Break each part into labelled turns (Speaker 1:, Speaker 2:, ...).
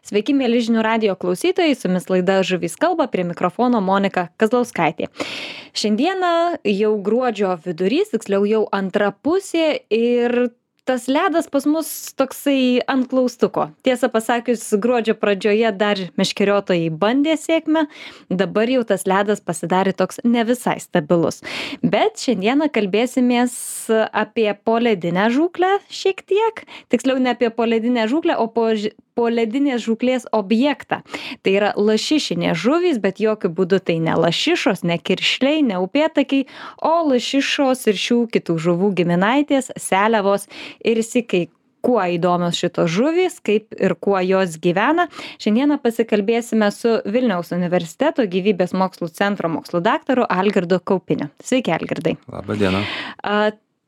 Speaker 1: Sveiki, mėly žinių radijo klausytojai, su jumis laida Žuvys kalba, prie mikrofono Monika Kazlauskaitė. Šiandieną jau gruodžio vidurys, tiksliau jau antra pusė ir tas ledas pas mus toksai ant klaustuko. Tiesą pasakius, gruodžio pradžioje dar meškeriotojai bandė sėkmę, dabar jau tas ledas pasidarė toks ne visai stabilus. Bet šiandieną kalbėsimės apie poledinę žūklę šiek tiek, tiksliau ne apie poledinę žūklę, o poledinės žūklės objektą. Tai yra lašišinės žuvys, bet jokių būdų tai ne lašišos, ne kiršliai, ne upėtakiai, o lašišos ir šių kitų žuvų giminaitės, seliavos ir sykai. Kuo įdomios šitos žuvys, kaip ir kuo jos gyvena. Šiandieną pasikalbėsime su Vilniaus universiteto gyvybės mokslų centro mokslų daktaru Algirdu Kaupiniu. Sveiki, Algirdai.
Speaker 2: Labą dieną.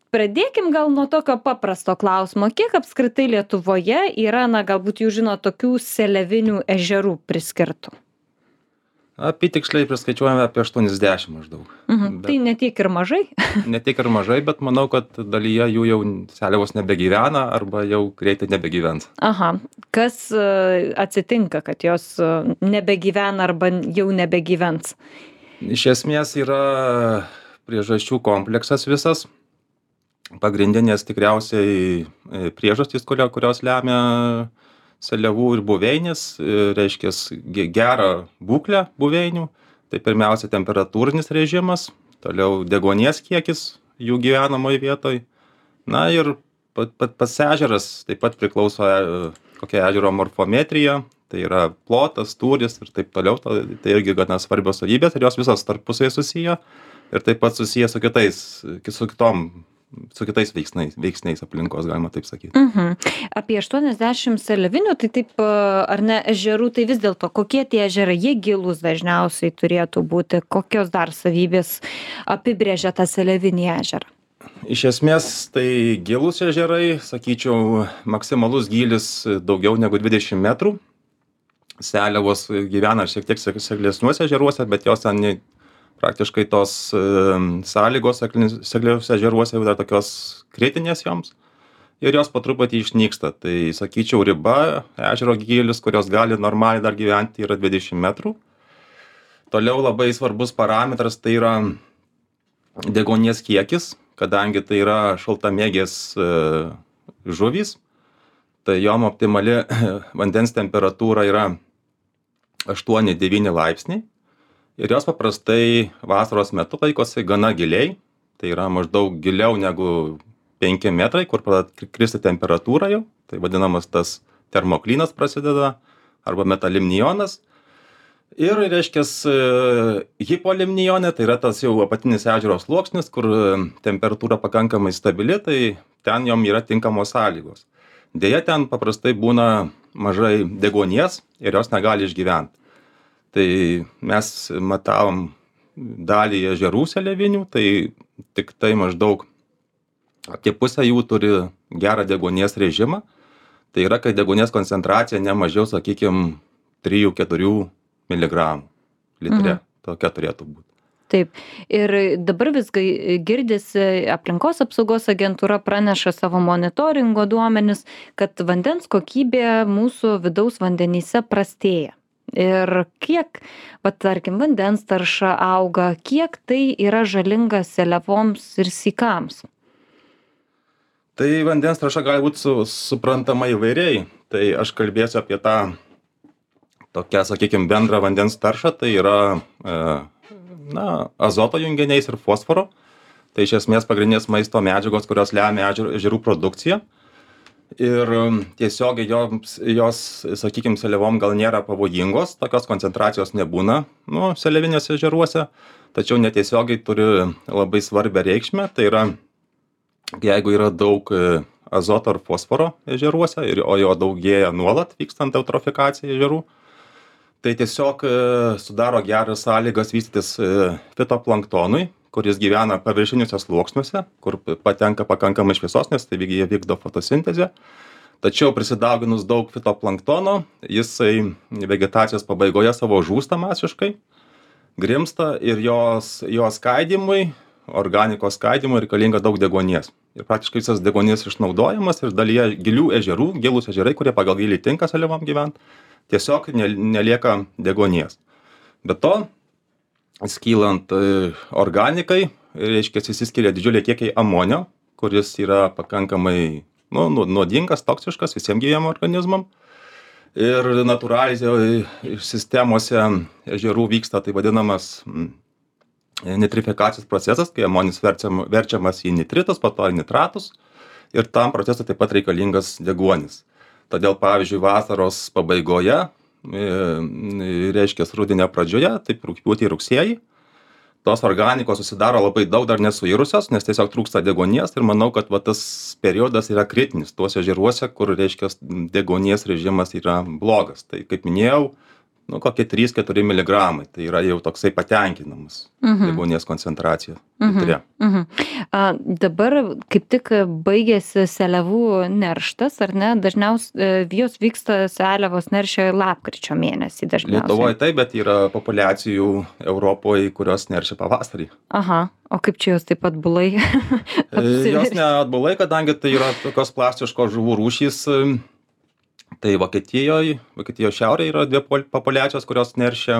Speaker 1: Pradėkim gal nuo tokio paprasto klausimo. Kiek apskritai Lietuvoje yra, galbūt jūs žino, tokių seliavinių ežerų priskirtų?
Speaker 2: Apytiksliai priskaičiuojame apie 80 maždaug.
Speaker 1: Tai ne tiek ir mažai?
Speaker 2: Ne tiek ir mažai, bet manau, kad dalyje jų jau seliavos nebegyvena arba jau greitai nebegyvens.
Speaker 1: Aha. Kas atsitinka, kad jos nebegyvena arba jau nebegyvens?
Speaker 2: Iš esmės yra priežasčių kompleksas visas. Pagrindinės tikriausiai priežastys, kurios lemia seliavų ir buveinės, reiškia gerą būklę buveinių. Tai pirmiausia temperatūrinis režimas, toliau deguonies kiekis jų gyvenamoje vietoje. Na ir pats ežeras taip pat priklauso kokia ežero morfometrija, tai yra plotas, tūris ir taip toliau. Tai irgi gana svarbios savybės ir jos visos tarpusai susiję ir taip pat susiję su kitais veiksniais aplinkos, galima taip sakyti.
Speaker 1: Apie 80 seliavinių, tai taip, ar ne, ežerų, tai vis dėlto, kokie tie ežerai, jie gilūs dažniausiai turėtų būti, kokios dar savybės apibrėžia tą seliavinį ežerą?
Speaker 2: Iš esmės, tai gilūs ežerai, sakyčiau, maksimalus gylis daugiau negu 20 metrų. Seliavos gyvena šiek tiek seklesniuose ežeruose, bet jos ten praktiškai tos sąlygos sekliuose ežeruose dar tokios kritinės joms ir jos po truputį išnyksta. Tai sakyčiau, riba ežero gylis, kurios gali normaliai dar gyventi, yra 20 metrų. Toliau labai svarbus parametras tai yra deguonies kiekis, kadangi tai yra šaltamėgės žuvys, tai jom optimali vandens temperatūra yra 8-9 laipsniai. Ir jos paprastai vasaros metu laikosi gana giliai, tai yra maždaug giliau negu 5 metrai, kur pradeda kristi temperatūra jau, tai vadinamas tas termoklinas prasideda, arba metalimnionas. Ir, reiškia, hipolimnionė, tai yra tas jau apatinis ežero sluoksnis, kur temperatūra pakankamai stabili, tai ten jom yra tinkamos sąlygos. Deja, ten paprastai būna mažai deguonies ir jos negali išgyventi. Tai mes matavom dalį ežerų seliavinių, tai tik tai maždaug apie pusę jų turi gerą deguonies režimą. Tai yra, kad deguonies koncentracija ne mažiau, sakykime, 3-4 mg litre. Tokia turėtų būti.
Speaker 1: Taip. Ir dabar visgi girdisi aplinkos apsaugos agentūra praneša savo monitoringo duomenis, kad vandens kokybė mūsų vidaus vandenyse prastėja. Ir kiek, tarkim, vandens tarša auga, kiek tai yra žalinga seliavoms ir sykams?
Speaker 2: Tai vandens tarša gali būti suprantama įvairiai. Tai aš kalbėsiu apie tą tokią, sakykime, bendrą vandens taršą. Tai yra azoto junginiais ir fosforo. Tai iš esmės pagrindinės maisto medžiagos, kurios lemia ežerų produkciją. Ir tiesiogiai jos, sakykime, seliavom gal nėra pavojingos, tokios koncentracijos nebūna seliavinėse ežeruose, tačiau netiesiogiai turi labai svarbią reikšmę. Tai yra, jeigu yra daug azoto ar fosforo ežeruose, o jo daugėja nuolat vykstant eutrofikacijai ežerų, tai tiesiog sudaro geras sąlygas vystytis fitoplanktonui, kuris gyvena paviršiniuose sluoksniuose, kur patenka pakankamai šviesos, nes tai jie vykdo fotosintezę. Tačiau prisidauginus daug fitoplanktono, jisai vegetacijos pabaigoje savo žūsta masiškai, grimsta ir jo skaidymui, organikos skaidymui reikalinga daug deguonies. Ir praktiškai visas deguonies išnaudojamas ir dalyje gilių ežerų, gilūs ežerai, kurie pagal gylį tinka seliavom gyventi, tiesiog nelieka deguonies. Be to, skylant organikai, reiškia, išsiskiria didžiuliai kiekiai amonio, kuris yra pakankamai nuodingas, toksiškas visiems gyviem organizmam. Ir natūraliai sistemose ežerų vyksta tai vadinamas nitrifikacijos procesas, kai amonis verčiamas į nitritus, po to į nitratus. Ir tam procesui taip pat reikalingas deguonis. Todėl, pavyzdžiui, vasaros pabaigoje, reiškia rudenio pradžioje, taip rugpjūtį, rugsėjį, tos organikos susidaro labai daug, dar nesuirusios, nes tiesiog trūksta deguonies ir manau, kad tas periodas yra kritinis tuose ežeruose, kur, reiškia, deguonies režimas yra blogas. Tai, kaip minėjau, kokie 3-4 miligramai, tai yra jau toksai patenkinamas deguonies koncentracija.
Speaker 1: Dabar kaip tik baigėsi seliavų nerštas, ar ne? Dažniausiai jos vyksta seliavos neršia lapkričio mėnesį dažniausiai.
Speaker 2: Lietuvoje taip, bet yra populiacijų Europoje, kurios neršia pavasarį.
Speaker 1: Aha, o kaip čia jos taip atbulai?
Speaker 2: Jos neatbulai, kadangi tai yra tokios plastiškos žuvų rūšys. Tai Vokietijos šiaurėje yra dvi populiacijos, kurios neršia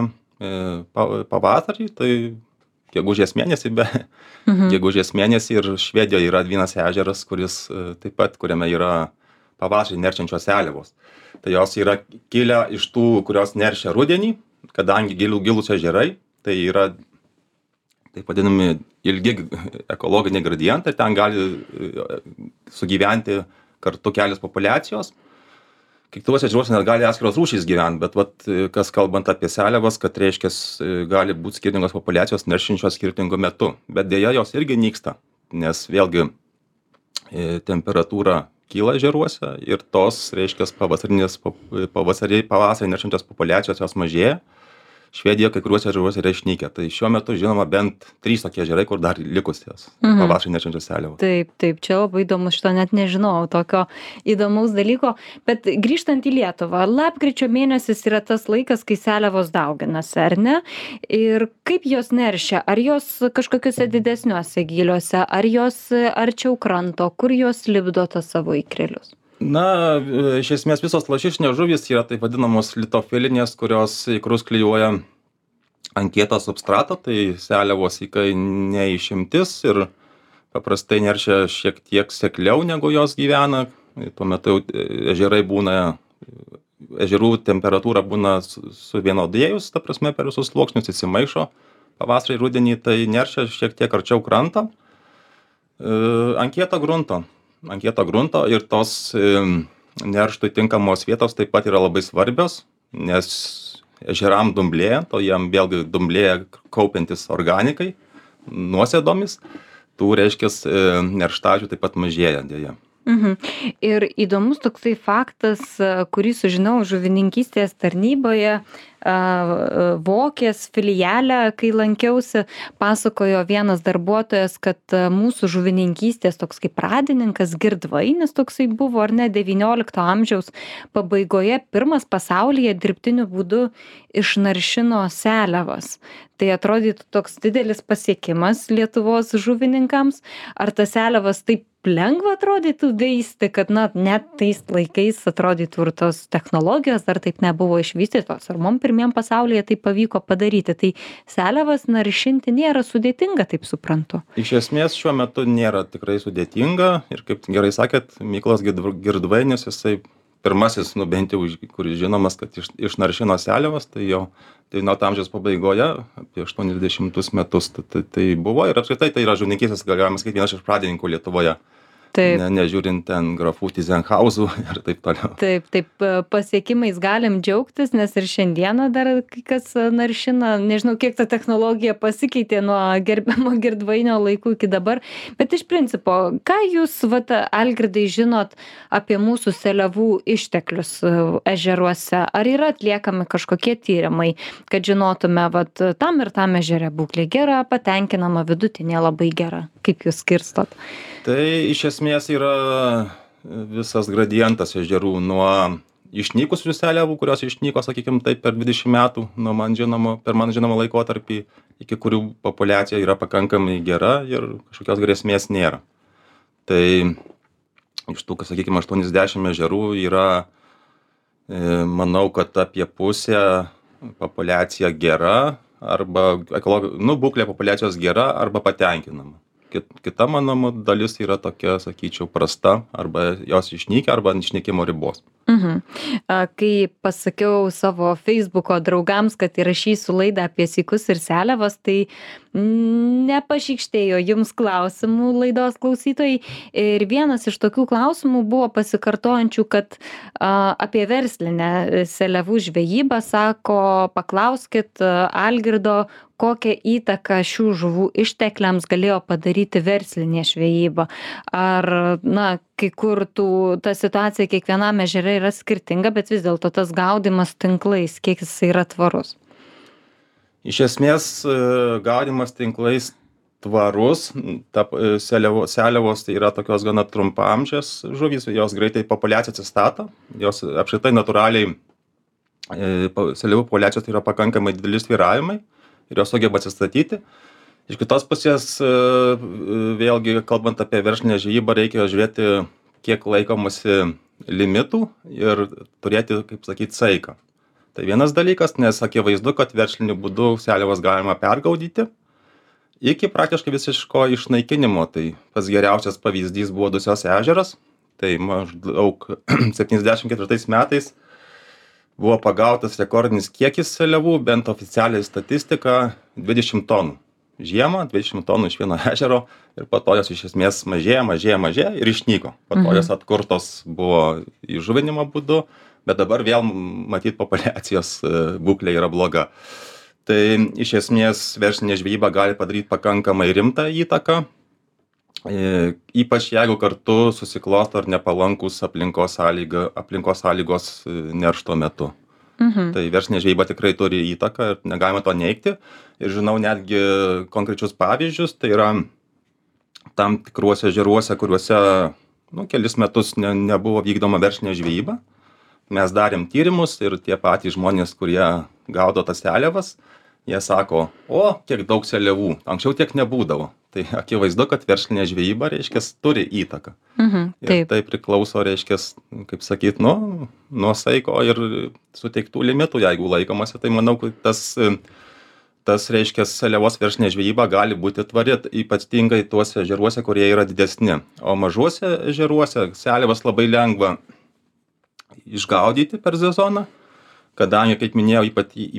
Speaker 2: pavasarį, tai gegužės mėnesį, gegužės mėnesį, ir Švedijoje yra vienas ežeras, kuris taip pat, kuriame yra pavasarį neršiančios seliavos. Tai jos yra kilę iš tų, kurios neršia rudenį, kadangi gilūs ežerai, tai yra taip vadinami ilgi ekologiniai gradientai, ten gali sugyventi kartu kelios populiacijos. Kiekvienuose ežeruose net gali atskiros rūšys gyventi, bet kas kalbant apie seliavas, kad reiškia gali būti skirtingos populiacijos neršinčios skirtingu metu. Bet dėja jos irgi nyksta, nes vėlgi temperatūra kyla ežeruose ir tos, reiškia, pavasarį neršinčios populiacijos jos mažėja. Švedijoje kai kuriuose ežeruose yra išnykę. Tai šiuo metu žinoma bent 3 tokie ežerai, kur dar likusios pavasarį neršiančios seliavos.
Speaker 1: Taip, čia labai įdomu, šito net nežinau, tokio įdomaus dalyko. Bet grįžtant į Lietuvą, lapkričio mėnesis yra tas laikas, kai seliavos dauginasi, ar ne? Ir kaip jos neršia? Ar jos kažkokiuose didesniuose gyliuose, ar jos arčiau kranto, kur jos lipdo tas savo ikrelius?
Speaker 2: Na, iš esmės visos lašišinės žuvys yra taip vadinamos litofilinės, kurios ikrus klijuoja ant kieto substrato, tai seliavos ikai neišimtis ir paprastai neršia šiek tiek sekliau negu jos gyvena. Tuo metu ežerai ežerų temperatūra būna suvienodėjus, ta prasme per visus sluoksnius įsimaišo. Pavasarį, rudenį tai neršia šiek tiek arčiau kranto, ant kieto grunto ir tos nerštui tinkamos vietos taip pat yra labai svarbios, nes ežeram dumblėjant, o jam vėlgi dumblėja kaupiantis organikai nuosėdomis, tų reiškia nerštažių taip pat mažėja dėja.
Speaker 1: Ir įdomus toksai faktas, kurį sužinau žuvininkystės tarnyboje, Vokės filiale, kai lankiausi, pasakojo vienas darbuotojas, kad mūsų žuvininkystės toks kaip pradininkas Girdvainis toksai buvo, ar ne, 19 amžiaus pabaigoje pirmas pasaulyje dirbtiniu būdu išnaršino seliavas. Tai atrodytų toks didelis pasiekimas Lietuvos žuvininkams. Ar tas seliavas taip lengva atrodytų veisti, kad net tais laikais atrodytų ir tos technologijos dar taip nebuvo išvystytos, ar mum pirmiem pasaulyje tai pavyko padaryti. Tai seliavas naršinti nėra sudėtinga, taip suprantu.
Speaker 2: Iš esmės šiuo metu nėra tikrai sudėtinga ir kaip gerai sakėt, Mykolas Girdvainis, jisai pirmasis, bent jau, kuris žinomas, kad išnaršino seliavas, tai jau 19 amžiaus pabaigoje, apie 80 metus tai buvo ir apskritai tai yra žuvininkystės, galima sakyti, vienas iš pradininkų Lietuvoje. Nežiūrint ten grafų Tyzenhauzų ir taip toliau.
Speaker 1: Taip, pasiekimais galim džiaugtis, nes ir šiandieną dar kas naršina, nežinau, kiek ta technologija pasikeitė nuo gerbiamo Girdvainio laikų iki dabar, bet iš principo, ką jūs, Algirdai, žinot apie mūsų seliavų išteklius ežeruose? Ar yra atliekami kažkokie tyrimai, kad žinotume, tam ir tam ežere būklė gera, patenkinama, vidutinė labai gera? Kaip jūs skirstot?
Speaker 2: Tai iš esmės yra visas gradientas ežerų nuo išnykusių seliavų, kurios išnyko, sakykime, taip per 20 metų, per man žinomą laikotarpį, iki kurių populiacija yra pakankamai gera ir kažkokios grėsmės nėra. Tai iš tų, sakykime, 80 ežerų yra Manau, kad apie pusę populiacija gera arba būklė populiacijos gera arba patenkinama. Kita mano dalis yra tokia, sakyčiau, prasta arba jos išnykę arba ant išnykimo ribos.
Speaker 1: Kai pasakiau savo Facebooko draugams, kad įrašysiu laidą apie sykus ir seliavas, tai nepašykštėjo jums klausimų laidos klausytojai. Ir vienas iš tokių klausimų buvo pasikartojančių, kad apie verslinę seliavų žvejybą sako, paklauskit Algirdo, kokią įtaką šių žuvų ištekliams galėjo padaryti verslinė žvejyba. Ar, kai kur ta situacija kiekvienam ežere yra skirtinga, bet vis dėlto tas gaudymas tinklais, kiek jis yra tvarus?
Speaker 2: Iš esmės, gaudymas tinklais tvarus. Seliavos tai yra tokios gana trumpaamžės žuvys, jos greitai populiacija atsistato, jos apskritai natūraliai seliavų populiacijos tai yra pakankamai dideli svyravimai ir jos sugeba atsistatyti. Iš kitos pusės, vėlgi, kalbant apie verslinę žvejybą, reikia žiūrėti, kiek laikomasi limitų ir turėti, kaip sakyti, saiką. Tai vienas dalykas, nes akivaizdu, kad versliniu būdu seliavas galima pergaudyti iki praktiškai visiško išnaikinimo. Tai pats geriausias pavyzdys buvo Dusios ežeras. Tai maždaug 74 metais buvo pagautas rekordinis kiekis seliavų, bent oficialiai statistika 20 tonų. Žiemą 20 tonų iš vieno ežero ir po to jos iš esmės mažėja ir išnyko. Po to jos atkurtos buvo įžuvinimo būdu, bet dabar vėl matyt populiacijos būklė yra bloga. Tai iš esmės verslinė žvejyba gali padaryti pakankamai rimtą įtaką, ypač jeigu kartu susiklosto ar nepalankūs aplinkos sąlygos neršto metu. Tai verslinė žvejyba tikrai turi įtaką ir negalima to neigti. Ir žinau netgi konkrečius pavyzdžius, tai yra tam tikruose ežeruose, kuriuose kelis metus nebuvo vykdoma verslinė žvejyba. Mes darėm tyrimus ir tie patys žmonės, kurie gaudo tas seliavas, jie sako, kiek daug seliavų, anksčiau tiek nebūdavo. Tai akivaizdu, kad verslinė žvejyba, turi įtaką. Ir tai priklauso, kaip sakyt, nuo saiko ir suteiktų limitų, jeigu laikomasi. Tai manau, kad tas seliavos verslinė žvejyba gali būti tvari, ypatingai tuose ežeruose, kurie yra didesni. O mažuose ežeruose seliavas labai lengva išgaudyti per sezoną, kadangi, kaip minėjau,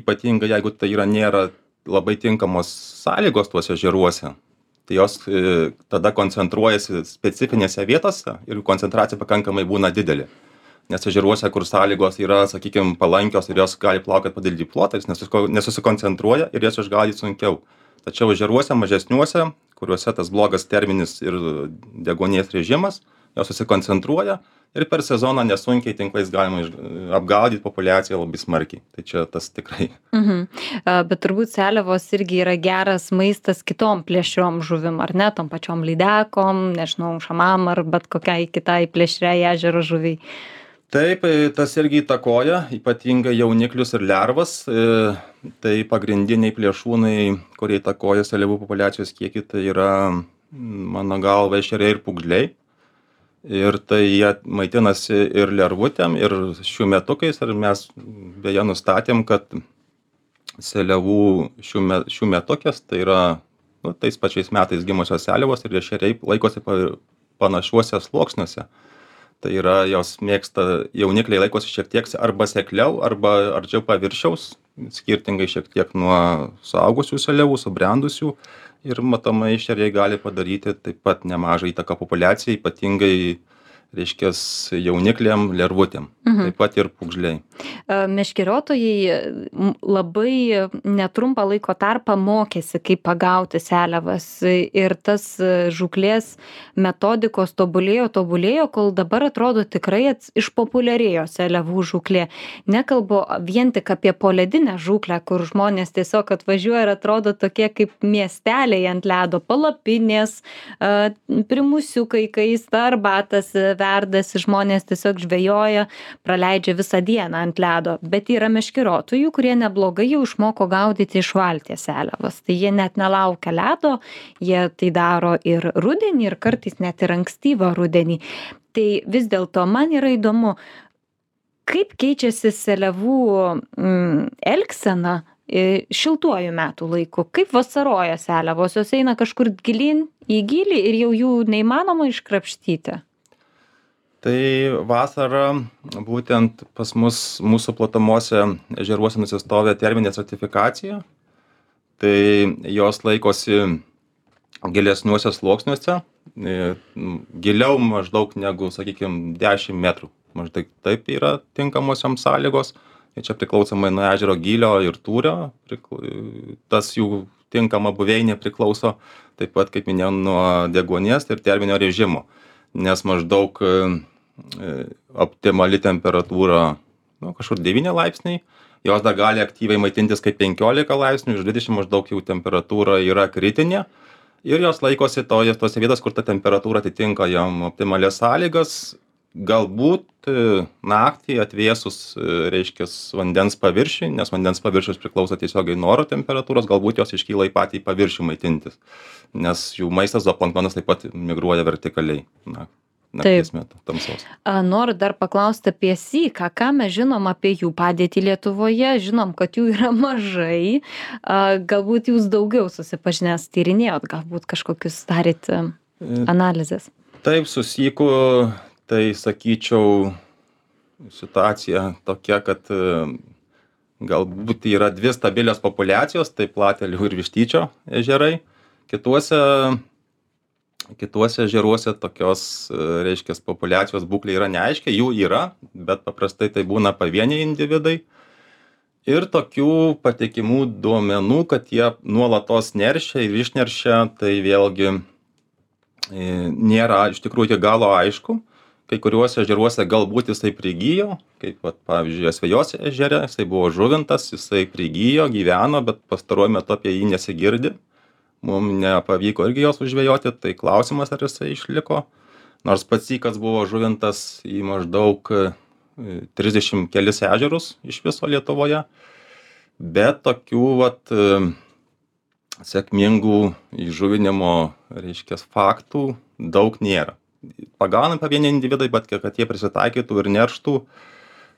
Speaker 2: ypatingai jeigu tai nėra labai tinkamos sąlygos tuose ežeruose, tai jos tada koncentruojasi specifinėse vietose ir koncentracija pakankamai būna didelė. Nes ežeruose, kur sąlygos yra, sakykime, palankios ir jos gali plaukioti po didelį plotą, jis nesusikoncentruoja ir jas išgaudyti sunkiau. Tačiau ežeruose mažesniuose, kuriuose tas blogas terminis ir deguonies režimas, jos susikoncentruoja ir per sezoną nesunkiai tinklais galima apgaudyti populiaciją labai smarkiai. Tai čia tas tikrai.
Speaker 1: Bet turbūt seliavos irgi yra geras maistas kitom plėšriom žuvim, ar ne? Tom pačiom lydekom, nežinau, šamam ar bet kokiai kitai plėšriai ežero žuviai.
Speaker 2: Taip, tas irgi įtakoja, ypatingai jauniklius ir lervas. Tai pagrindiniai plėšrūnai, kurie įtakoja seliavų populiacijos kiekį, tai yra, mano galva, ešeriai ir pūgžliai. Ir tai jie maitinasi ir lervutėm, ir šiųmetukais. Ir mes beje nustatėm, kad seliavų šiųmetukės, tai yra tais pačiais metais gimusios seliavos ir ešeriai laikosi panašiuose sluoksniuose. Tai yra, jos mėgsta, jaunikliai laikosi šiek tiek arba sekliau, arba arčiau paviršiaus, skirtingai šiek tiek nuo suaugusių seliavų, subrendusių. Ir matomai ešeriai gali padaryti taip pat nemažą įtaką populiacijai, ypatingai, jaunikliam, lervutėm. Taip pat ir pūgžliai.
Speaker 1: Meškeriotojai labai netrumpą laiko tarpą mokėsi, kaip pagauti seliavas. Ir tas žūklės metodikos tobulėjo, kol dabar atrodo tikrai išpopuliarėjo seliavų žūklė. Nekalbu vien tik apie poledinę žūklę, kur žmonės tiesiog atvažiuoja ir atrodo tokie kaip miesteliai ant ledo, palapinės, primusiukai, kaista arbatas verdasi, žmonės tiesiog žvejoja, praleidžia visą dieną ant ledo. Bet yra meškeriotojų, kurie neblogai jau išmoko gaudyti iš valties seliavas. Tai jie net nelaukia ledo, jie tai daro ir rudenį, ir kartais net ir ankstyvą rudenį. Tai vis dėlto man yra įdomu, kaip keičiasi seliavų elgsena šiltuoju metų laiku? Kaip vasaroja seliavos? Jos eina kažkur gilyn į gylį ir jau jų neįmanoma iškrapštyti?
Speaker 2: Tai vasarą būtent pas mus, mūsų platuose ežeruose nusistovė terminė stratifikacija. Tai jos laikosi gilesniuose sluoksniuose, giliau maždaug negu, sakykime, 10 metrų. Maždaug taip yra tinkamosiams sąlygos. Ir čia priklausomai nuo ežero gylio ir tūrio, tas jų tinkama buveinė priklauso, taip pat, kaip minėjau, nuo deguonies ir terminio režimo. Nes maždaug optimali temperatūra, kažkur 9 laipsniai, jos dar gali aktyviai maitintis kaip 15 laipsnių, iš 20 maždaug jau temperatūra yra kritinė. Ir jos laikosi tose vietos, kur ta temperatūra atitinka jom optimalias sąlygas. Galbūt naktį atvėsus, reiškia, vandens paviršiui, nes vandens paviršius priklauso tiesiogiai nuo oro temperatūros, galbūt jos iškyla į patį paviršių maitintis, nes jų maistas zooplanktonas taip pat migruoja vertikaliai nakties metu tamsos.
Speaker 1: Noriu dar paklausti apie syką. Ką mes žinom apie jų padėtį Lietuvoje? Žinom, kad jų yra mažai. Galbūt jūs daugiau susipažinęs tyrinėjot, galbūt kažkokius darėt analizės?
Speaker 2: Taip, su syku, tai sakyčiau, situacija tokia, kad galbūt yra 2 stabilios populiacijos, tai Platelių ir Vištyčio ežerai. Kituose ežeruose tokios, reiškia, populiacijos būklė yra neaiškia, jų yra, bet paprastai tai būna pavieniai individai. Ir tokių patikimų duomenų, kad jie nuolatos neršia ir išneršia, tai vėlgi nėra iš tikrųjų iki galo aišku. Kai kuriuose ežeruose galbūt jisai prigijo, kaip, pavyzdžiui, Asvejos ežere, jisai buvo žuvintas, jisai prigijo, gyveno, bet pastaruoju metu apie jį nesigirdi. Mums nepavyko irgi jos užžvejoti, tai klausimas, ar jisai išliko. Nors pats sykas buvo žuvintas į maždaug 30 kelis ežerus iš viso Lietuvoje, bet tokių sėkmingų įžuvinimo, reiškia, faktų daug nėra. Pagaunam pavieniai individai, bet kad jie prisitaikytų ir nerštų,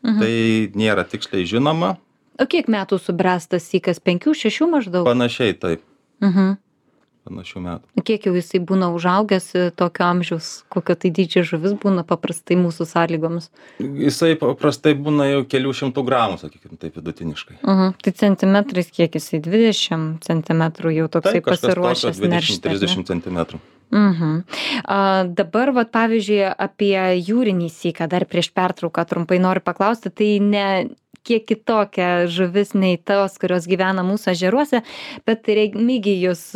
Speaker 2: tai nėra tiksliai žinoma.
Speaker 1: O kiek metų subręsta sykas? 5-6 maždaug?
Speaker 2: Panašiai, taip. Panašių metų.
Speaker 1: Kiek jau jisai būna užaugęs tokio amžiaus, kokio tai dydžio žuvis būna paprastai mūsų sąlygomis?
Speaker 2: Jisai paprastai būna jau kelių šimtų gramų, sakykime, taip vidutiniškai.
Speaker 1: Tai centimetrais kiek jisai? 20 centimetrų jau toksai pasiruošęs neršti?
Speaker 2: 20-30 centimetrų.
Speaker 1: Dabar, pavyzdžiui, apie jūrinį syką dar prieš pertrauką trumpai noriu paklausti, tai ne kiek kitokia žuvis nei tos, kurios gyvena mūsų ežeruose, bet Remigijus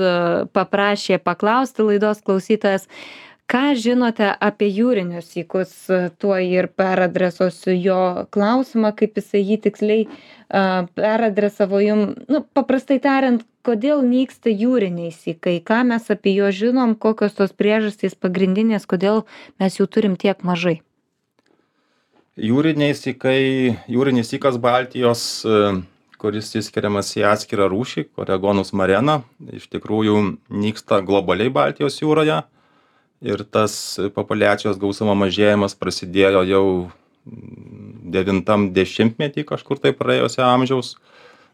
Speaker 1: paprašė paklausti laidos klausytojas, ką žinote apie jūrinius sykus, tuo ir peradresuosiu jo klausimą, kaip jisai jį tiksliai peradresavo jum. Paprastai tariant, kodėl nyksta jūriniai sykai, ką mes apie juos žinom, kokios tos priežastys pagrindinės, kodėl mes jų turim tiek mažai?
Speaker 2: Jūriniai sykai, jūrinis sykas Baltijos, kuris įskiriamas į atskirą rūšį, Coregonus marena, iš tikrųjų nyksta globaliai Baltijos jūroje. Ir tas populiacijos gausumo mažėjimas prasidėjo jau 90-metį kažkur tai praėjusio amžiaus.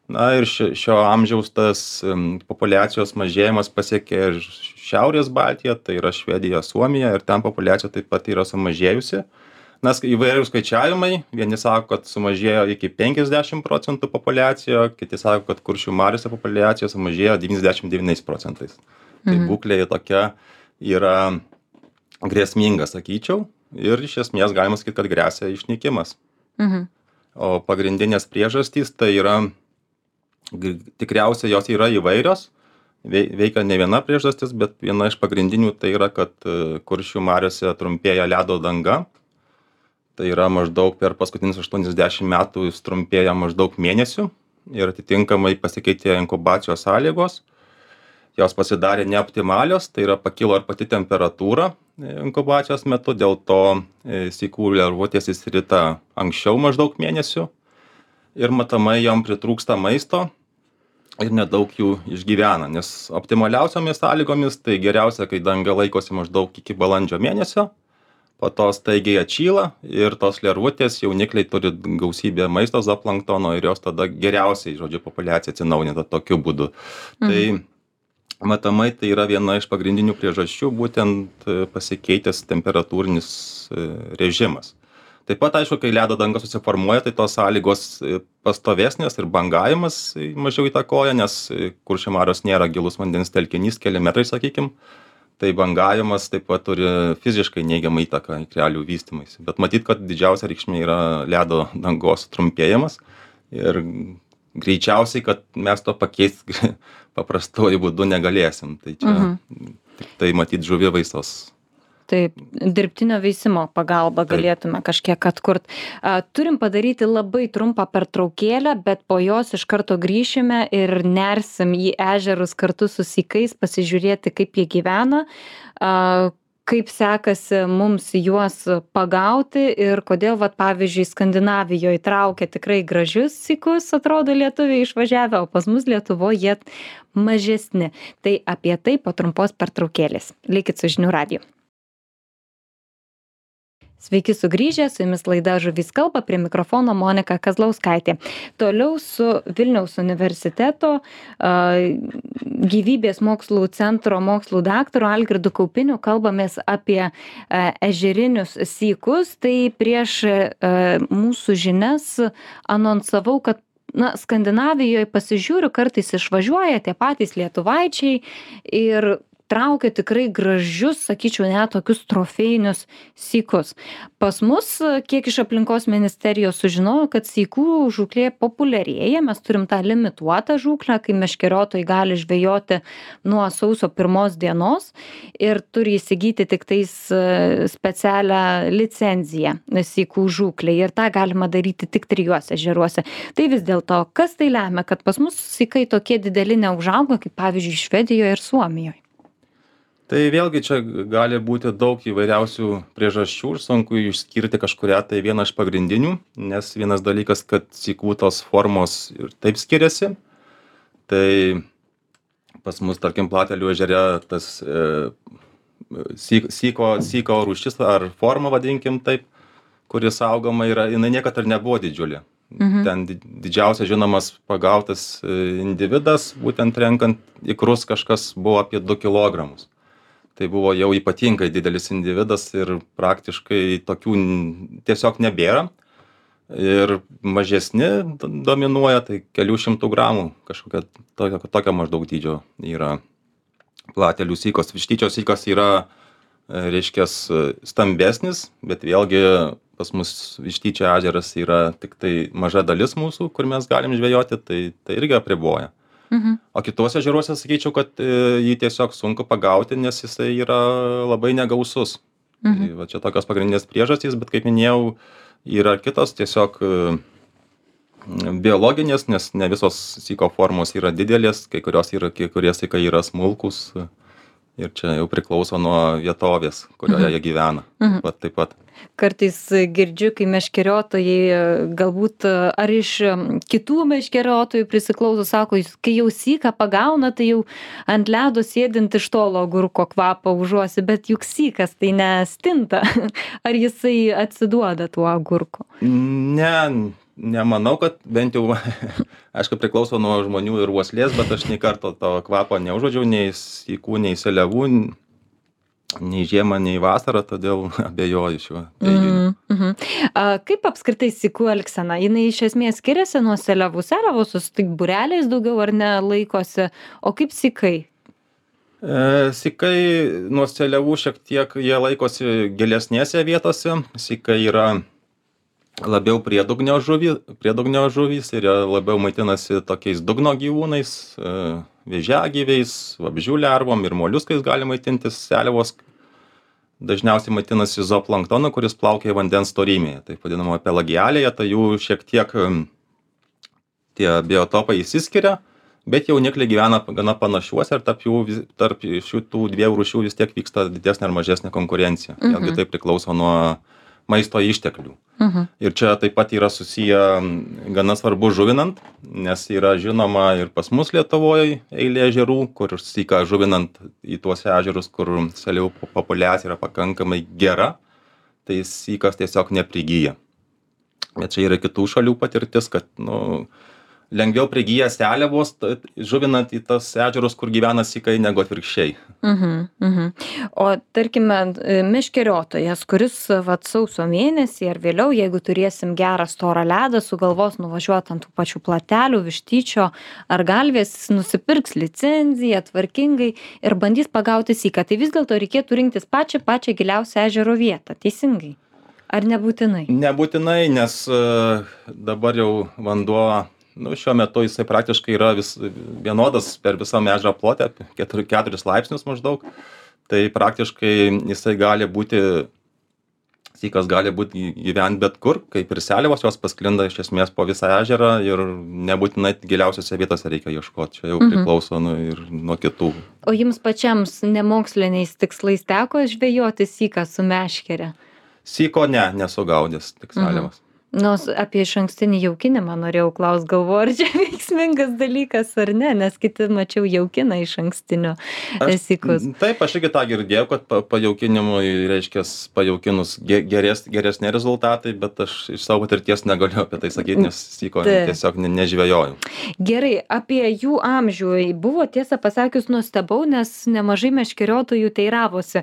Speaker 2: Ir šio amžiaus tas populiacijos mažėjimas pasiekė ir Šiaurės Baltiją, tai yra Švedija, Suomija, ir ten populiacija taip pat yra sumažėjusi. Nes įvairių skaičiavimai, vieni sako, kad sumažėjo iki 50% populiacijo, kiti sako, kad Kuršių mariose populiacija sumažėjo 99%. Tai būklė tokia yra grėsminga, sakyčiau, ir iš esmės galima sakyti, kad gresia išnykimas. O pagrindinės priežastys tai yra, tikriausiai jos yra įvairios, veikia ne viena priežastis, bet viena iš pagrindinių tai yra, kad Kuršių mariose trumpėja ledo danga. Tai yra maždaug per paskutinius 80 metų jis trumpėja maždaug mėnesių ir atitinkamai pasikeitė inkubacijos sąlygos. Jos pasidarė neoptimalios, tai yra pakilo ir pati temperatūra inkubacijos metu, dėl to sykų lervutės išsirita anksčiau maždaug mėnesių ir matomai jom pritrūksta maisto ir nedaug jų išgyvena, nes optimaliausiomis sąlygomis tai geriausia, kai danga laikosi maždaug iki balandžio mėnesio. po to staigiai atšyla ir tos lervutės, jaunikliai turi gausybę maisto zooplanktono ir jos tada geriausiai, žodžiu, populiacija atsinaujina tokiu būdu. Tai matomai tai yra viena iš pagrindinių priežasčių, būtent pasikeitęs temperatūrinis režimas. Taip pat, aišku, kai ledo danga susiformuoja, tai tos sąlygos pastovesnės ir bangavimas mažiau įtakoja, nes Kuršių marios nėra gilus vandens telkinys, keli metrai, sakykim. Tai bangavimas taip pat turi fiziškai neigiamą įtaką ikrelių vystymuisi. Bet matyt, kad didžiausia reikšmė yra ledo dangos trumpėjimas ir greičiausiai, kad mes to pakeisti paprastuoju būdu negalėsim. Tai čia tik tai matyt žuvivaisos.
Speaker 1: Taip, dirbtinio veisimo pagalba galėtume kažkiek atkurt. Turim padaryti labai trumpą pertraukėlę, bet po jos iš karto grįšime ir nersim į ežerus kartu su sykais, pasižiūrėti, kaip jie gyvena, kaip sekasi mums juos pagauti ir kodėl, vat, pavyzdžiui, Skandinavijoje traukia tikrai gražius sykus, atrodo, lietuviai išvažiavę, o pas mus Lietuvoje jie mažesni. Tai apie tai po trumpos pertraukėlės. Likit su Žinių radiju. Sveiki sugrįžę, su jumis laida Žuvys kalba, prie mikrofono Monika Kazlauskaitė. Toliau su Vilniaus universiteto gyvybės mokslų centro mokslų daktaru Algirdu Kaupiniu kalbamės apie ežerinius sykus. Tai prieš mūsų žinias anonsavau, kad Skandinavijoje pasižiūriu, kartais išvažiuoja tie patys lietuvaičiai ir traukia tikrai gražius, sakyčiau, net tokius trofėjinius sykus. Pas mus, kiek iš aplinkos ministerijos sužinojau, kad sykų žūklė populiarėja, mes turim tą limituotą žūklę, kai meškeriotojai gali žvejoti nuo sausio 1 dienos ir turi įsigyti tik tais specialią licenciją sykų žūklei ir tą galima daryti tik 3 ežeruose. Tai vis dėlto, kas tai lemia, kad pas mus sykai tokie dideli neužauga, kaip pavyzdžiui Švedijoje ir Suomijoje?
Speaker 2: Tai vėlgi čia gali būti daug įvairiausių priežasčių ir sunku išskirti kažkurią tai vieną iš pagrindinių, nes vienas dalykas, kad sykų tos formos ir taip skiriasi. Tai pas mus, tarkim, Platelių ežere tas syko rūšis ar forma, vadinkim taip, kuris saugoma yra, jinai niekad ir nebuvo didžiulė. Ten didžiausias žinomas pagautas individas, būtent renkant ikrus, kažkas buvo apie 2 kilogramus. Tai buvo jau ypatingai didelis individas ir praktiškai tokių tiesiog nebėra. Ir mažesni dominuoja, tai kelių šimtų gramų, kažkokia tokia maždaug dydžio yra platelių sykos. Vištyčio sykas yra, reiškias, stambesnis, bet vėlgi pas mus Vištyčio ežeras yra tik tai maža dalis mūsų, kur mes galim žvejoti, tai irgi apriboja. O kituose ežeruose sakyčiau, kad jį tiesiog sunku pagauti, nes jisai yra labai negausus. Tai va čia tokios pagrindinės priežastys, bet kaip minėjau, yra kitos tiesiog biologinės, nes ne visos syko formos yra didelės, kai kurie sykai yra smulkus ir čia jau priklauso nuo vietovės, kurioje jie gyvena. Taip pat.
Speaker 1: Kartais girdžiu, kai meškeriotojai galbūt ar iš kitų meškeriotojų prisiklauso, sako, kai jau syką pagauna, tai jau ant ledo sėdint iš tolo agurko kvapą užuosi, bet juk sykas tai nestinta. Ar jisai atsiduoda tuo agurku?
Speaker 2: Nemanau, kad bent jau, aišku, priklauso nuo žmonių ir uoslės, bet aš nei karto to kvapo neužuodžiau, nei sykų, nei seliavų, nei žiemą, nei vasarą, todėl abejoju šiuo teiginiu.
Speaker 1: Kaip apskritai sykų elgsena? Jinai iš esmės skiriasi nuo seliavų? Seliavos tik būreliais daugiau ar ne laikosi, o kaip sykai?
Speaker 2: Sykai nuo seliavų šiek tiek jie laikosi gilesnėse vietose. Sykai yra labiau priedugnio žuvys ir jie labiau maitinasi tokiais dugno gyvūnais, vėžiagyviais, vabzdžių lervom ir moliuskais gali maitintis. Seliavos dažniausiai maitinasi zooplanktonu, kuris plaukia vandens storymėje, taip vadinamo pelagialėje, tai jų šiek tiek tie biotopai išsiskiria, bet jaunikliai gyvena gana panašiuose ir tarp šitų 2 rūšių vis tiek vyksta didesnė ar mažesnė konkurencija. Vėlgi tai priklauso nuo maisto išteklių. Ir čia taip pat yra susiję gana svarbu žuvinant, nes yra žinoma ir pas mus Lietuvoje eilė ežerų, kur syką žuvinant į tuos ežerus, kur seliavų populiacija yra pakankamai gera, tai sykas tiesiog neprigyja. Bet čia yra kitų šalių patirtis, kad lengviau prigyja seliavos, žuvinant į tas ežerus, kur gyvena sykai, negu atvirkščiai.
Speaker 1: O tarkime, meškeriotojas, kuris sausio mėnesį ar vėliau, jeigu turėsim gerą storą ledą, sugalvos nuvažiuoti ant tų pačių platelių, vištyčio ar galvės, nusipirks licenciją tvarkingai ir bandys pagauti syką. Tai vis dėlto reikėtų rinktis pačią giliausią ežero vietą, teisingai? Ar nebūtinai?
Speaker 2: Nebūtinai, nes dabar jau vanduo, šiuo metu jisai praktiškai yra vienodas per visą ežero plotę, 4 laipsnius maždaug. Tai praktiškai jisai sykas gali būti gyventi bet kur, kaip ir seliavos, jos pasklinda iš esmės po visą ežerą ir nebūtinai giliausiose vietose reikia ieškoti. Čia jau priklauso ir nuo kitų.
Speaker 1: O jums pačiams nemoksliniais tikslais teko žvejoti syką su meškere?
Speaker 2: Syko nesugaudęs, tik seliavas.
Speaker 1: Apie išankstinį jaukinimą norėjau klaust, galvoju, ar čia veiksmingas dalykas ar ne, nes kiti mačiau jaukina išankstinio sykus.
Speaker 2: Taip, aš irgi tą girdėjau, kad pajaukinimui, reiškia, pajaukinus geresni rezultatai, bet aš iš savo patirties negaliu apie tai sakyti, nes syko tiesiog nežvejojau.
Speaker 1: Gerai, apie jų amžių buvo, tiesą pasakius, nustebau, nes nemažai meškeriotojų teiravosi.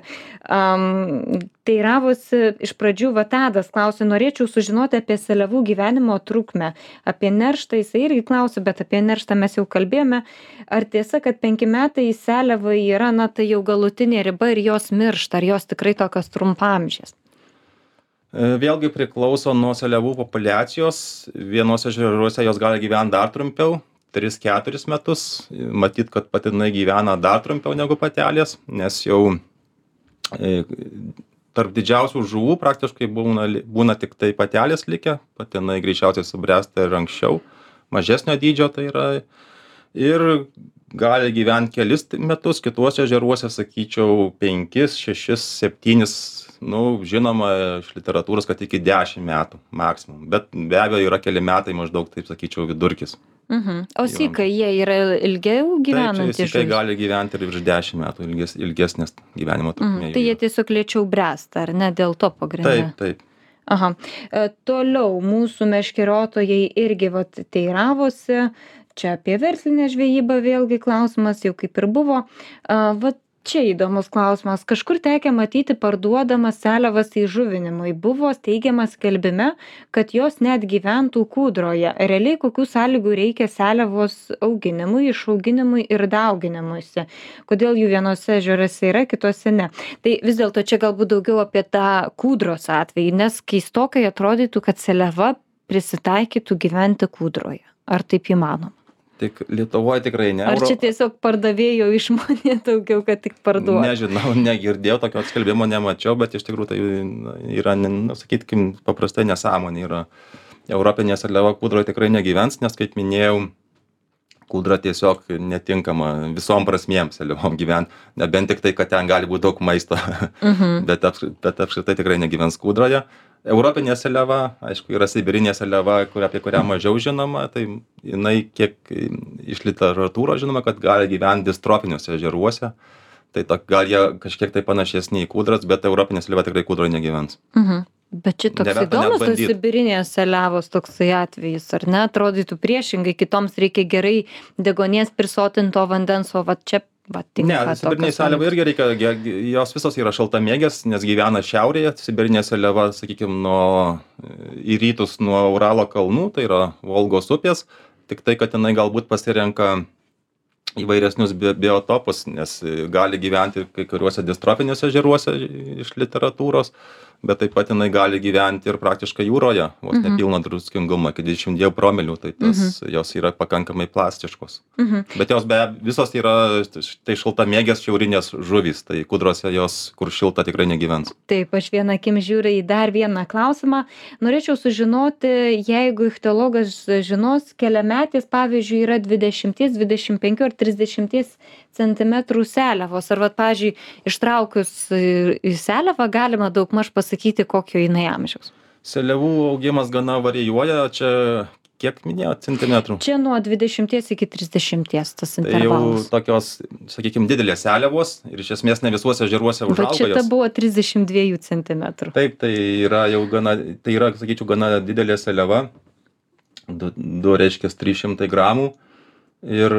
Speaker 1: Iš pradžių Tadas klausė, norėčiau sužinoti apie seliavų gyvenimo trukmę. Apie nerštą jisai irgi klausė, bet apie nerštą mes jau kalbėjome. Ar tiesa, kad 5 metai seliavai yra, tai jau galutinė riba ir jos miršta, ar jos tikrai tokios trumpamžės?
Speaker 2: Vėlgi priklauso nuo seliavų populiacijos. Vienose ežeruose jos gali gyventi dar trumpiau, 3-4 metus. Matyt, kad patinai gyvena dar trumpiau negu patelės, nes jau tarp didžiausių žuvų praktiškai būna tik tai patelės likę, patinai greičiausiai subręsta ir anksčiau, mažesnio dydžio tai yra, ir gali gyventi kelis metus, kituose ežeruose, sakyčiau, 5, 6, 7, žinoma, iš literatūros, kad iki 10 metų maksimum, bet be abejo yra keli metai maždaug, taip sakyčiau, vidurkis.
Speaker 1: O sykai, jie yra ilgiau gyvenantys?
Speaker 2: Taip, sykai gali gyventi ir virš 10 metų, ilgesnės gyvenimo trukmė.
Speaker 1: Tai jie tiesiog lėčiau bręsta, ar ne, dėl to pagrinde?
Speaker 2: Taip.
Speaker 1: Aha. Toliau mūsų meškeriotojai irgi teiravosi, čia apie verslinę žvejybą vėlgi klausimas jau kaip ir buvo. Čia įdomus klausimas. Kažkur tekę matyti parduodamas seliavas įžuvinimui. Buvo teigiamas skelbime, kad jos net gyventų kūdroje. Realiai kokių sąlygų reikia seliavos auginimui, išauginimui ir dauginimuisi? Kodėl jų vienose ežeruose yra, kitose ne? Tai vis dėlto čia galbūt daugiau apie tą kūdros atvejį, nes keistokai atrodytų, kad seliava prisitaikytų gyventi kūdroje. Ar taip įmanoma?
Speaker 2: Tik Lietuvoje tikrai ne.
Speaker 1: Ar čia tiesiog pardavėjo išmonė daugiau, kad tik parduoda?
Speaker 2: Nežinau, negirdėjau, tokio skelbimo nemačiau, bet iš tikrųjų tai yra, sakykim, paprastai nesąmonė yra. Europinė seliava kūdroje tikrai negyvens, nes, kaip minėjau, kūdra tiesiog netinkama visom prasmėm seliavom gyventi, nebent tik tai, kad ten gali būti daug maisto, bet apskritai tikrai negyvens kūdroje. Europinė seliava, aišku, yra sibirinė seliava, apie kurią mažiau žinoma, tai jinai kiek iš literatūros žinoma, kad gali gyventi distrofiniuose ežeruose, tai gal jie kažkiek tai panašesni į kūdras, bet europinė seliava tikrai kūdroje negyvens.
Speaker 1: Bet čia toks įdomus tos sibirinės seliavos toksai atvejis, ar ne? Atrodytų priešingai, kitoms reikia gerai degonės prisotinto vandens, o čia
Speaker 2: Ne, sibirinė seliava irgi reikia, jos visos yra šaltamėgės, nes gyvena šiaurėje, sibirinė seliava, sakykime, į rytus nuo Uralo kalnų, tai yra Volgos upės, tik tai, kad jinai galbūt pasirenka įvairesnius biotopus, nes gali gyventi kai kuriuose distrofiniuose ežeruose iš literatūros, bet taip pat jinai gali gyventi ir praktiškai jūroje, vos nepilno druskingumo, iki 22 promilių, tai jos yra pakankamai plastiškos. Bet jos visos yra tai šaltamėgės šiaurinės žuvys, tai kūdrose jos, kur šilta, tikrai negyvens.
Speaker 1: Taip, aš vieną akim žiūriu į dar vieną klausimą. Norėčiau sužinoti, jeigu ichtiologas žinos, keliametės, pavyzdžiui, yra 20, 25 ar 30 centimetrų seliavos. Ar, pavyzdžiui, ištraukius į seliavą galima daugmaž pasakyti, kokio jinai amžiaus?
Speaker 2: Seliavų augimas gana varijuoja. Čia kiek minėjot centimetrų?
Speaker 1: Čia nuo 20 iki 30 tas
Speaker 2: Tai jau
Speaker 1: intervalas.
Speaker 2: tokios, sakykime, didelės seliavos ir iš esmės ne visuose ežeruose
Speaker 1: Bet
Speaker 2: užauga
Speaker 1: šita
Speaker 2: jos.
Speaker 1: buvo 32 centimetrų.
Speaker 2: Taip, tai yra jau gana, tai yra, sakyčiau, gana didelė seliava. Reiškia 300 gramų. Ir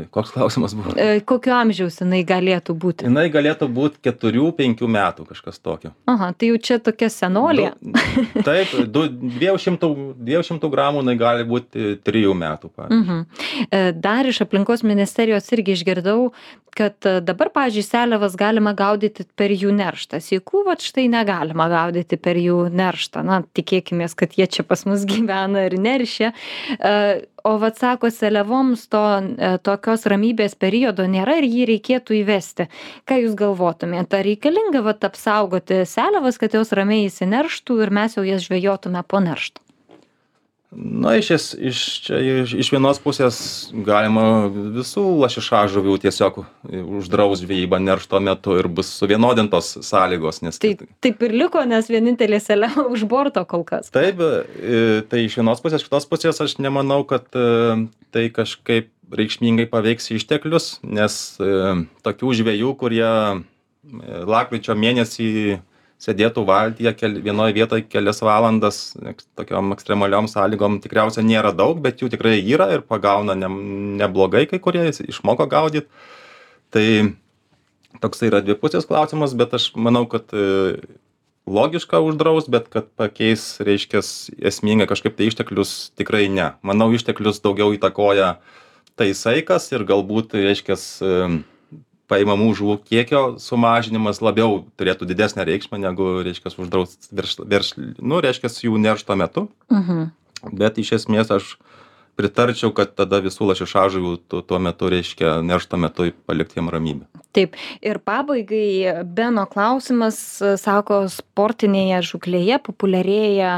Speaker 2: koks klausimas buvo?
Speaker 1: Kokio amžiaus jinai galėtų būti?
Speaker 2: Jinai galėtų būti 4-5 metų, kažkas tokio.
Speaker 1: Aha, tai jau čia tokia senolė.
Speaker 2: Taip, 200 gramų jinai gali būti 3 metų, pavyzdžiui.
Speaker 1: Dar iš aplinkos ministerijos irgi išgirdau, kad dabar, pavyzdžiui, seliavas galima gaudyti per jų nerštą. Sykų, vat štai negalima gaudyti per jų nerštą. Na, tikėkimės, kad jie čia pas mus gyvena ir neršia. O vat sako, seliavoms tokios ramybės periodo nėra ir jį reikėtų įvesti. Ką jūs galvotumėte? Ar reikalinga vat apsaugoti seliavas, kad jos ramiai įsinerštų ir mes jau jas žvejotume po neršto?
Speaker 2: Na, iš vienos pusės galima visų lašišažuvių tiesiog uždraus žvejybą neršto metu ir bus suvienodintos sąlygos. Nes
Speaker 1: taip ir liko, nes vienintelė seliava už borto kol kas.
Speaker 2: Taip, tai iš vienos pusės, iš kitos pusės aš nemanau, kad tai kažkaip reikšmingai paveiks išteklius, nes tokių žvejų, kurie lapkričio mėnesį sėdėtų valtyje vienoje vietoje kelias valandas tokiom ekstremaliom sąlygom tikriausiai nėra daug, bet jų tikrai yra ir pagauna neblogai, kai kurie išmoko gaudyti. Tai toks yra dvipusės klausimas, bet aš manau, kad logiška uždraus, bet kad pakeis, reiškia, esmingai kažkaip tai išteklius tikrai ne. Manau, išteklius daugiau įtakoja tai saikas ir galbūt, reiškia, paimamų žuvų kiekio sumažinimas labiau turėtų didesnę reikšmę negu, reiškia, uždraust reiškia, jų neršto metu. Bet iš esmės aš pritarčiau, kad tada visų lašišažuvių tuo metu, reiškia, neršto metu palikti jiem ramybę.
Speaker 1: Taip. Ir pabaigai Beno klausimas, sako, sportinėje žūklėje populiarėja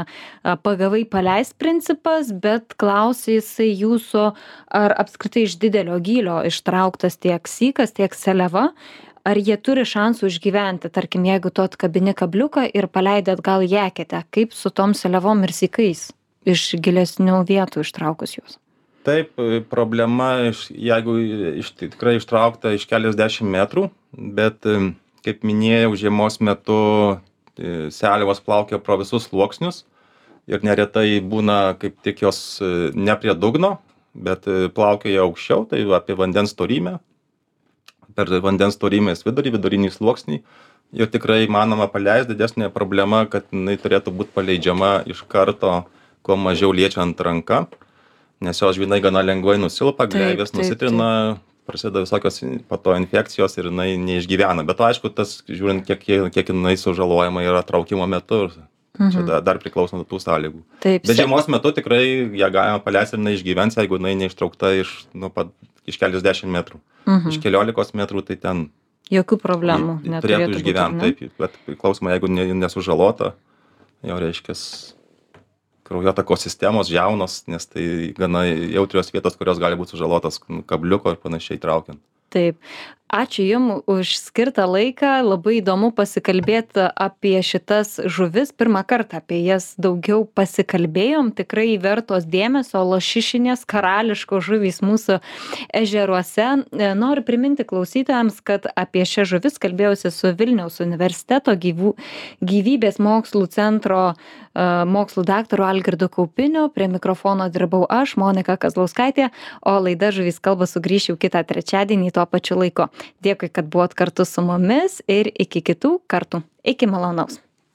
Speaker 1: pagavai paleist principas, bet klausia jisai jūsų, ar apskritai iš didelio gylio ištrauktas tiek sykas, tiek seliava, ar jie turi šansų išgyventi, tarkim, jeigu tu atkabini kabliuką ir paleidi atgal į eketę, kaip su tom seliavom ir sykais iš gilesnių vietų ištraukus juos?
Speaker 2: Taip, problema, jeigu tikrai ištraukta iš keliasdešimt metrų, bet, kaip minėjau, žiemos metu seliavos plaukia pro visus sluoksnius ir neretai būna kaip tik jos ne prie dugno, bet plaukioja aukščiau, tai apie vandens storymę, per vandens storymės vidurinį sluoksnį. Ir tikrai manoma paleist. Didesnė problema, kad jinai turėtų būti paleidžiama iš karto, kuo mažiau liečiant ranką, nes jos žvynai gana lengvai nusilpa, gleivės nusitrina, prasideda visokios po to infekcijos ir jinai neišgyvena. Bet aišku, tas, žiūrint, kiek jinai sužalojama yra traukimo metu, čia dar priklauso nuo tų sąlygų. Bet žiemos metu tikrai ją galima paleisti ir jinai išgyvens, jeigu jinai neištraukta iš keliasdešimt metrų. Iš 15 metrų tai ten
Speaker 1: jokių problemų
Speaker 2: turėtų išgyventi. Taip, bet priklausomai, jeigu nesužalota, jau reiškia kraujotakos sistemos jaunos, nes tai gana jautrios vietos, kurios gali būti sužalotas kabliuko ir panašiai traukiant.
Speaker 1: Taip. Ačiū Jums už skirtą laiką. Labai įdomu pasikalbėti apie šitas žuvis. Pirmą kartą apie jas daugiau pasikalbėjom. Tikrai vertos dėmesio lašišinės karališkos žuvys mūsų ežeruose. Noriu priminti klausytojams, kad apie šias žuvis kalbėjausi su Vilniaus universiteto gyvybės mokslų centro mokslų daktaru Algirdu Kaupiniu. Prie mikrofono dirbau aš, Monika Kazlauskaitė, o laida Žuvys kalba sugrįš jau kitą trečiadienį tuo pačiu laiku. Dėkui, kad buvot kartu su mumis ir iki kitų kartų. Iki malonaus.